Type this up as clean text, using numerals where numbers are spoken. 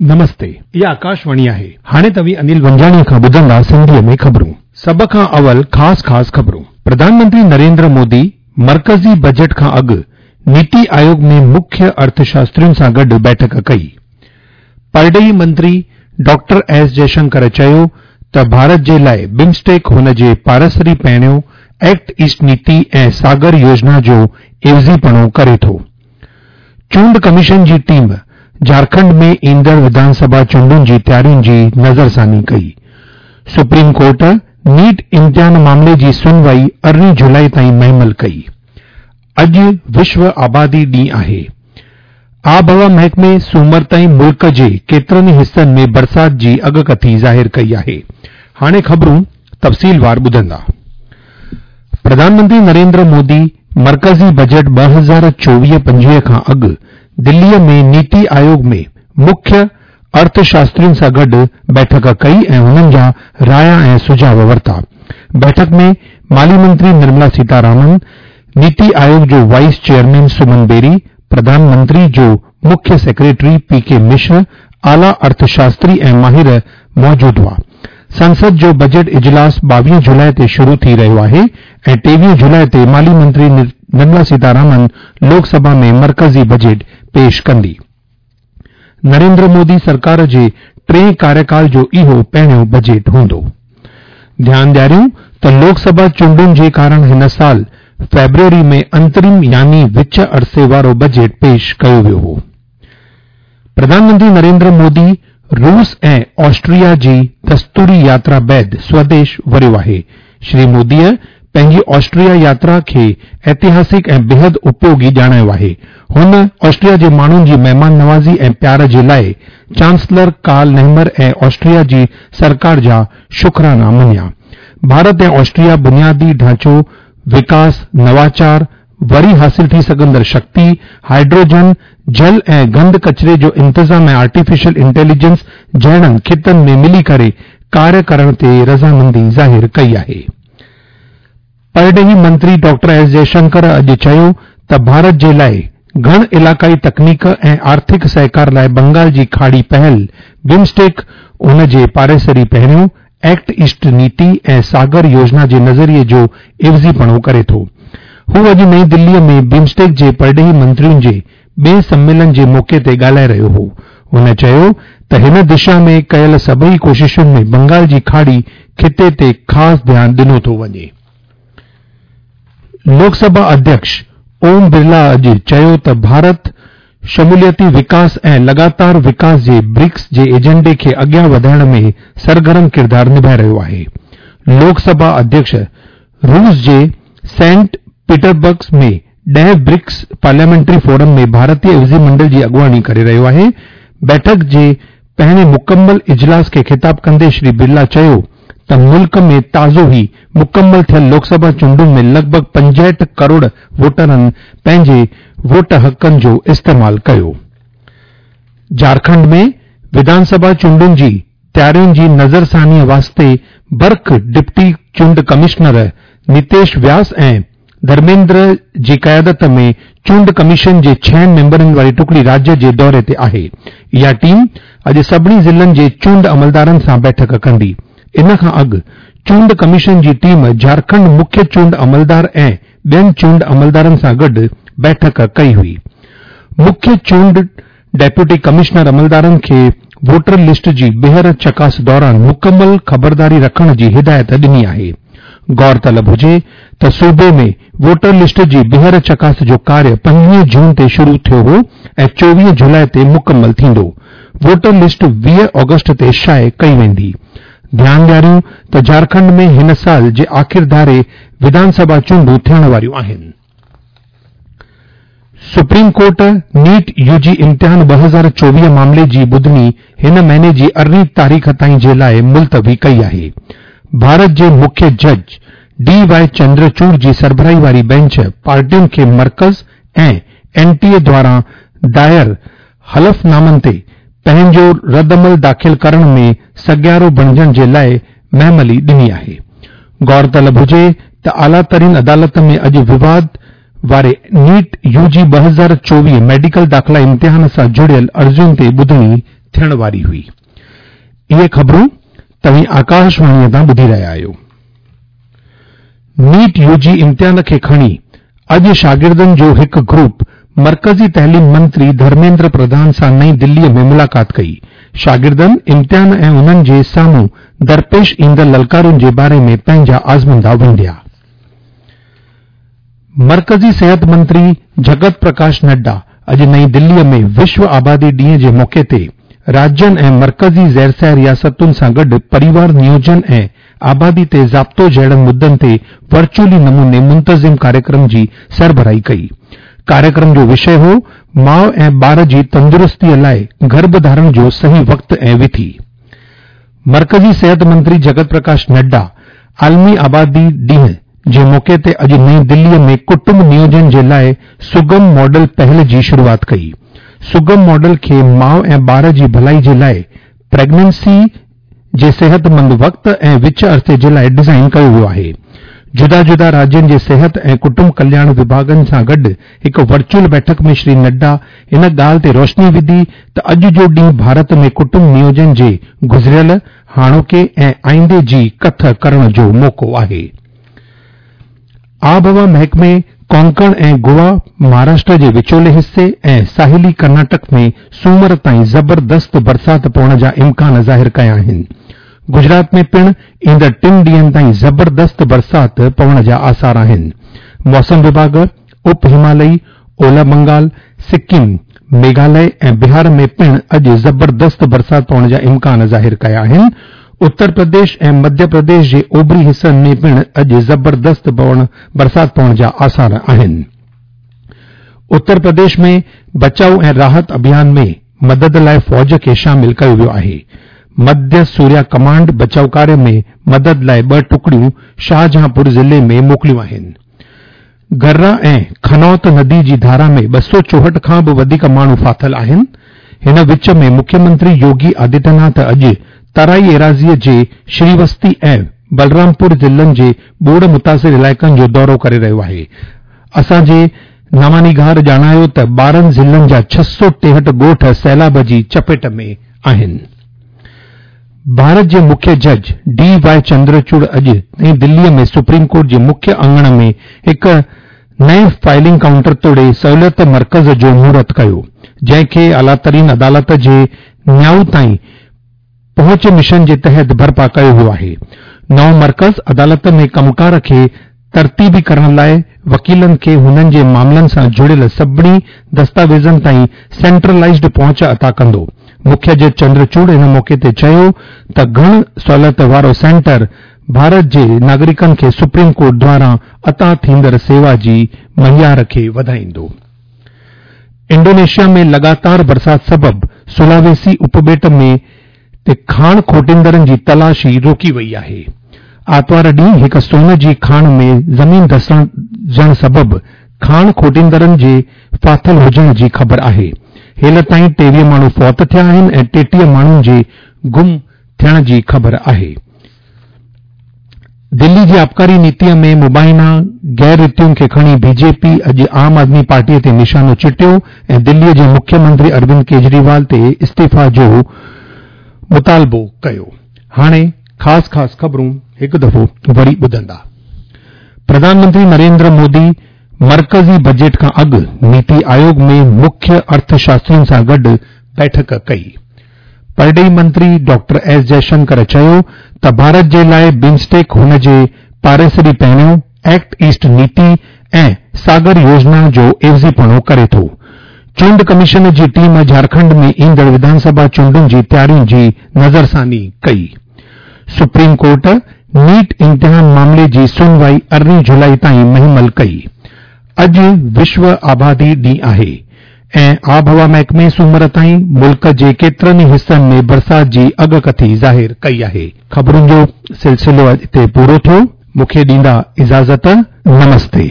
نمستي، اها آڪاشواڻي آهي. هاڻي توهين انيل ونجاڻيء کان ٻڌندا سنڌيء ۾ خبرون. سڀ کان اول خاص خاص خبرون. پرڌان منتري نريندر مودي مرڪزي بجيٽ کان اڳ نيتي آيوگ ۾ مکيه ارٿشاسترين سان گڏ بيٺڪ ڪئي. پرڏيهي منتري ڊاڪٽر ايس جئشنڪر چيو ته ڀارت جي لاء بمسٽيڪ هن جي پاڙيسري پهريون ايڪٽ ايسٽ نيتي ۽ ساگر يوجنا جو عيوضيپڻو ڪري ٿو. چونڊ ڪميشن جي ٽيم جهارکنڊ ۾ ايندڙ وڌان سڀا چونڊن جي تيارين جي نظرثاني ڪئي. سپريم ڪورٽ نيٽ امتحان معاملي جي سنوائي 18 جولاء تائين مهمل ڪئي. اڄ وشو آبادي ڏينهن آهي. آبهوا محڪمي سومر تائين ملڪ جي ڪيترن ئي حصن ۾ برسات جي اڳڪٿي ظاهر ڪئي آهي. هاڻي خبرون تفصيلوار ٻڌندا. پرڌان منتري نريندر مودي مرڪزي بجيٽ 2024-25 کان اڳ دليء ۾ نيتي آيوگ ۾ مکيه ارٿشاسترين سان گڏ بيٺڪ ڪئي ۽ هنن جا رايا ۽ سجهاء ورتا. بيٺڪ ۾ مالي منتري نرملا سيتارامن، نيتي آيوگ جو وائيس چيئرمين سمن بيري، پرڌان منتري جو مکيه سيڪريٽري پي ڪي مشر، اعليٰ ارٿشاستري ۽ ماهر موجود هئا. سنسد جو بجيٽ اجلاس 22 جولاء تي شروع ٿي رهيو آهي ۽ 23 جولاء تي مالي منتري نرملا سيتارامن لوڪ سڀا ۾ مرڪزي بجيٽ پيش ڪندي. نريندر مودي سرڪار جي ٽئين ڪاريڪال جو اهو پهريون بجيٽ هوندو. ڌيان ڏياريون ته لوڪ سڀا چونڊن جي ڪارڻ هن سال فيبروري ۾ انترم يعني وچ عرصي وارو بجيٽ پيش ڪيو ويو هو. پرڌان منتري نريندر مودي روس ۽ آسٽريا جي دستوري ياترا بعد سوديش وريو آهي. شري موديء پنهنجي آسٽريا ياترا کي ائتهاسڪ ۽ بيحد اپيوگي ڄاڻايو آهي. هن آسٽريا جي ماڻهن جي مهمان نوازي ۽ پيار جي لاء چانسلر ڪارل نيهمر ۽ آسٽريا جي سرڪار جا شڪرانا مڃيا. ڀارت ۽ آسٽريا بنيادي ڍانچو وڪاس، نواچار، وري حاصل ٿي سگهندڙ شڪتي، هائيڊروجن، جل ۽ گند ڪچري جو انتظام ۽ آرٽيفيشل انٽيليجنس جهڙن خطن ۾ ملي ڪري ڪاريه ڪرڻ تي رضامندي ظاهر ڪئي آهي. پرڏيهي منتري ڊاڪٽر ايس جئشنڪر اڄ چيو ته ڀارت جي لاء گهڻ علاقائي تڪنيڪ ۽ آرٿڪ سهڪار لاء بنگال جي کاڙي پهل بمسٽيڪ ان جي پاڙيسري پهريون ايڪٽ ايسٽ نيتي ۽ ساگر يوجنا جي نظريي جو عيوضيپڻو ڪري ٿو. هو اڄ نئين دليء ۾ بمسٽيڪ جي پرڏيهي منترين جي ٻئين سميلن جي موقعي تي ڳالهائي رهيو هو. هن چيو ته هن دشا ۾ ڪيل سڀئي ڪوششن ۾ بنگال جي کاڙي خطي تي خاص ڌيان ڏنو ٿو وڃي. لوڪ سڀا اڌيڪش اوم برلا اڄ چيو ته ڀارت شموليتي وڪاس ۽ لڳاتار وڪاس جي برڪس جي ايجنڊي کي اڳيان وڌائڻ ۾ سرگرم ڪردار نڀائي رهيو آهي. لوڪ سڀا اڌيڪش روس جي سينٽ پيٽربرگ ۾ ڏهين برڪس پارليامينٽري فورم ۾ ڀارتي عيوضي منڊل جي اڳواڻي ڪري رهيو آهي. بيٺڪ جي پهرين مڪمل اجلاس کي خطاب ڪندي شري برلا چيو ته ملڪ ۾ تازو ئي مڪمل ٿيل لوڪ سڀا چونڊن ۾ لڳ ڀڳ 65 ڪروڙ ووٽرن پنهنجي ووٽ حقن جو استعمال ڪيو. جهارکنڊ ۾ وڌان سڀا چونڊن جي تيارين جي نظرثانيء واسطي برک ڊپٽي چونڊ ڪمشنر نتيش وياس ۽ ڌرميندر جي قيادت ۾ چونڊ ڪميشن جي ڇهن ميمبرن واري ٽڪڙي راجيه جي دوري تي آهي. اها ٽيم اڄ سڀني ضلعن جي چونڊ عملدارن سان بيٺڪ ڪندي. ان کان اڳ چونڊ ڪميشن جي ٽيم جهارکنڊ مکيه چونڊ عملدار ۽ ٻين چونڊ عملدارن سان گڏ بيٺڪ ڪئي هئي. مکيه چونڊ ڊيپوٽي ڪمشنر عملدارن کي ووٽر لسٽ جي ٻيهر چڪاس دوران مڪمل خبرداري رکڻ جي هدايت ڏني آهي. غور طلب هجي ته صوبي ۾ ووٽر لسٽ جي ٻيهر چڪاس جو ڪاريه 25 جون تي شروع ٿيو هو ۽ 24 جولاء تي مڪمل ٿيندو. ووٽر لسٽ 20 آگسٽ تي شايع ڪئي ويندي. ڌيان ڏياريون ته جهارکنڊ ۾ هن سال جي آخر ڌاري وڌان سڀا چونڊون ٿيڻ واريون آهن. Supreme court NEET U جي امتحان 2024 معاملي جي ٻڌڻي هن مهيني جي 18 تاريخ تائين جي لاء ملتوي ڪئي آهي. ڀارت جي مکيه جج ڊي وائي چندرچوڙ جي سربراهي واري بينچ پارٽين کي مرڪز ۽ اين ٽي اي دواران دائر حلف نامن تي پنهنجو ردعمل داخل ڪرڻ ۾ سگهارو بڻجڻ جي لاء مهملي ڏني آهي. غور طلب هجي ته اعليٰ ترين عدالت ۾ اڄ وواد واري نيٽ يو جي 2024 ميڊيڪل داخلا امتحان سان جڙيل عرضين تي ٻڌڻي ٿيڻ واري هئي. اهي خبرون توهين آڪاشواڻيء تان ٻڌي رهيا آهيو. نيٽ يو جي امتحان کي کڻي اڄ شاگردن جو هڪ گروپ مرڪزي تعليم منتري ڌرميندر پرڌان سان نئين دليء ۾ ملاقات ڪئي. شاگردن امتحان ۽ انهن جي سامهون درپيش ايندڙ للڪارن جي باري ۾ پنهنجا آزموندا ونڊيا. مرڪزي صحت منتري جڳت پرڪاش نڊا اڄ نئين دليء ۾ وشو آبادي ڏينهن جي موقعي تي راجين ۽ مرڪزي زيرسير رياستن سان گڏ پريوار نيوجن ۽ آبادي تي ضابطو جهڙن مدن تي ورچوئلي نموني منتظم ڪاريڪرم جي سربراهي ڪئي. ڪاريڪرم جو وشي هو ماء ۽ ٻار جي تندرستيء لاء گرڀ ڌارڻ جو صحيح وقت ۽ وٿي. مرڪزي صحت منتري جڳت پرڪاش نڊا عالمي آبادي ڏينهن جي موقعي تي اڄ نئين دليء ۾ ڪٽنب نيوجن جي لاء سگم ماڊل پهل جي شروعات ڪئي. سگم ماڊل کي ماء ۽ ٻار جي ڀلائي جي لاء پريگننسي جي صحتمند وقت ۽ وچ عرصي جي لاء ڊزائين ڪيو ويو آهي. جدا جدا راجين جي صحت ۽ ڪٽنب ڪلياڻ وڀاڳن سان گڏ هڪ ورچوئل بيٺڪ ۾ شري نڊا ان ڳالهه تي روشني وڌي ته اڄ جو ڏينهن ڀارت ۾ ڪٽنب نيوجن جي گذريل، هاڻوڪي ۽ آئيندي جي ڪٿ ڪرڻ جو موقعو آهي. آبهوا محڪمي ڪونڪڻ ۽ گوا، مهاراشٽر جي وچولي حصي ۽ ساحلي ڪرناٽڪ ۾ سومر تائين زبردست برسات پوڻ جا امڪان ظاهر ڪيا آهن. گجرات ۾ پڻ ايندڙ ٽن ڏينهن تائين زبردست برسات پوڻ جا آثار آهن. موسم وڀاڳ اپ همالئي، اولهه بنگال، سڪم، ميگهاليه ۽ بهار ۾ پڻ اڄ زبردست برسات پوڻ جا امڪان ظاهر ڪيا آهن. اتر پرديش ۽ مڌيه پرديش جي اوڀري حصن ۾ پڻ اڄ زبردست برسات پوڻ جا آثار آهن. اتر پرديش ۾ بچاء ۽ راحت اڀيان ۾ مدد لاء فوج کي شامل ڪيو ويو آهي. مڌيه سوريا ڪمانڊ بچاء ڪاريه ۾ مدد لاء ٻه ٽڪڙيون شاهجهانپور ضلعي ۾ موڪليون آهن. گرا ۽ کنوت ندي جي ڌارا ۾ 264 کان به وڌيڪ ماڻهو ڦاٿل آهن. هن وچ ۾ مکيه منتري يوگي آدتيه ناٿ اڄ ترائي ايراضيء جي شريوستي ۽ بلرامپور ضلعن جي ٻوڏ متاثر علائقن جو دورو ڪري رهيو آهي. اسان جي نوانيگار ڄاڻايو ته 12 ضلعن جا 663 ڳوٺ سيلاب جي چپيٽ ۾ آهن. ڀارت جي مکيه جج ڊي وائي چندرچوڙ اڄ نئين دليء ۾ سپريم ڪورٽ جي مکيه اڱڻ ۾ هڪ نئين فائلنگ ڪائونٽر توڙي سهوليت مرڪز جو مهورت ڪيو، جنهن کي اعليٰ ترين عدالت جي نياء تائين پهچ مشن جي تحت برپا ڪيو ويو آهي. نئون مرڪز عدالت ۾ ڪم ڪار کي ترتيبي ڪرڻ لاء وڪيلن کي هنن جي معاملن سان جڙيل سڀني دستاويزن تائين سينٽرلائيزڊ پهچ عطا ڪندو. مکيه جج چندر چوڙ ان موقعي تي چيو ته گهڻ سهولت وارو سينٽر ڀارت جي ناگرڪن کي سپريم ڪورٽ دواران عطا ٿيندڙ سيوا جي معيار کي وڌائيندو. انڊونيشيا ۾ لڳاتار برسات سبب سولاويسي اپٻيٽ ۾ تي کاڻ کوٽيندڙن جي تلاشي روڪي وئي آهي. آتوار ڏينهن هڪ سون جي کاڻ ۾ زمين ڌسجڻ سبب کاڻ کوٽيندڙن جي ڦاٿل هجڻ جي خبر آهي. هيل تائين 23 ماڻهو فوت ٿيا آهن ۽ 33 ماڻهن جي گم ٿيڻ جي خبر آهي. دلي جي آبڪاري نيتي ۾ مبينا غير ريتين کي کڻي بي جي پي اڄ عام آدمي پارٽي تي نشانو چٽيو ۽ دلي جي مکيه منتري اروند ڪيجريوال تي استعيفيٰ جو مطالبو ڪيو. هاڻي خاص خاص خبرون هڪ دفعو وري ٻڌندا. پرڌان منتري نريندر مودي مرڪزي بجيٽ کان اڳ نيتي آيوگ ۾ مکيه ارٿ شاسترين سان گڏ بيٺڪ ڪئي. پرڏيهي منتري ڊاڪٽر ايس جئشنڪر چيو ته ڀارت جي لاء بمسٽيڪ هن جي پاڙيسري پهريون، ايڪٽ ايسٽ نيتي ۽ ساگر يوجنا جو عيوضيپڻو ڪري ٿو. چونڊ ڪميشن جي ٽيم جهارکنڊ ۾ ايندڙ وڌانسڀا چونڊن جي تيارين جي نظرثاني ڪئي. سپريم ڪورٽ نيٽ امتحان معاملي جي سنوائي 18 جولائي تائين مهمل ڪئي. اڄ وشو آبادي ڏينهن آهي. ۽ آبهوا محڪمي سومر تائين ملڪ جي ڪيترن ئي حصن ۾ برسات جي اڳڪٿي ظاهر ڪئي آهي. خبرن جو سلسلو هتي پورو ٿيو. مون کي ڏيندا اجازت. نمستي.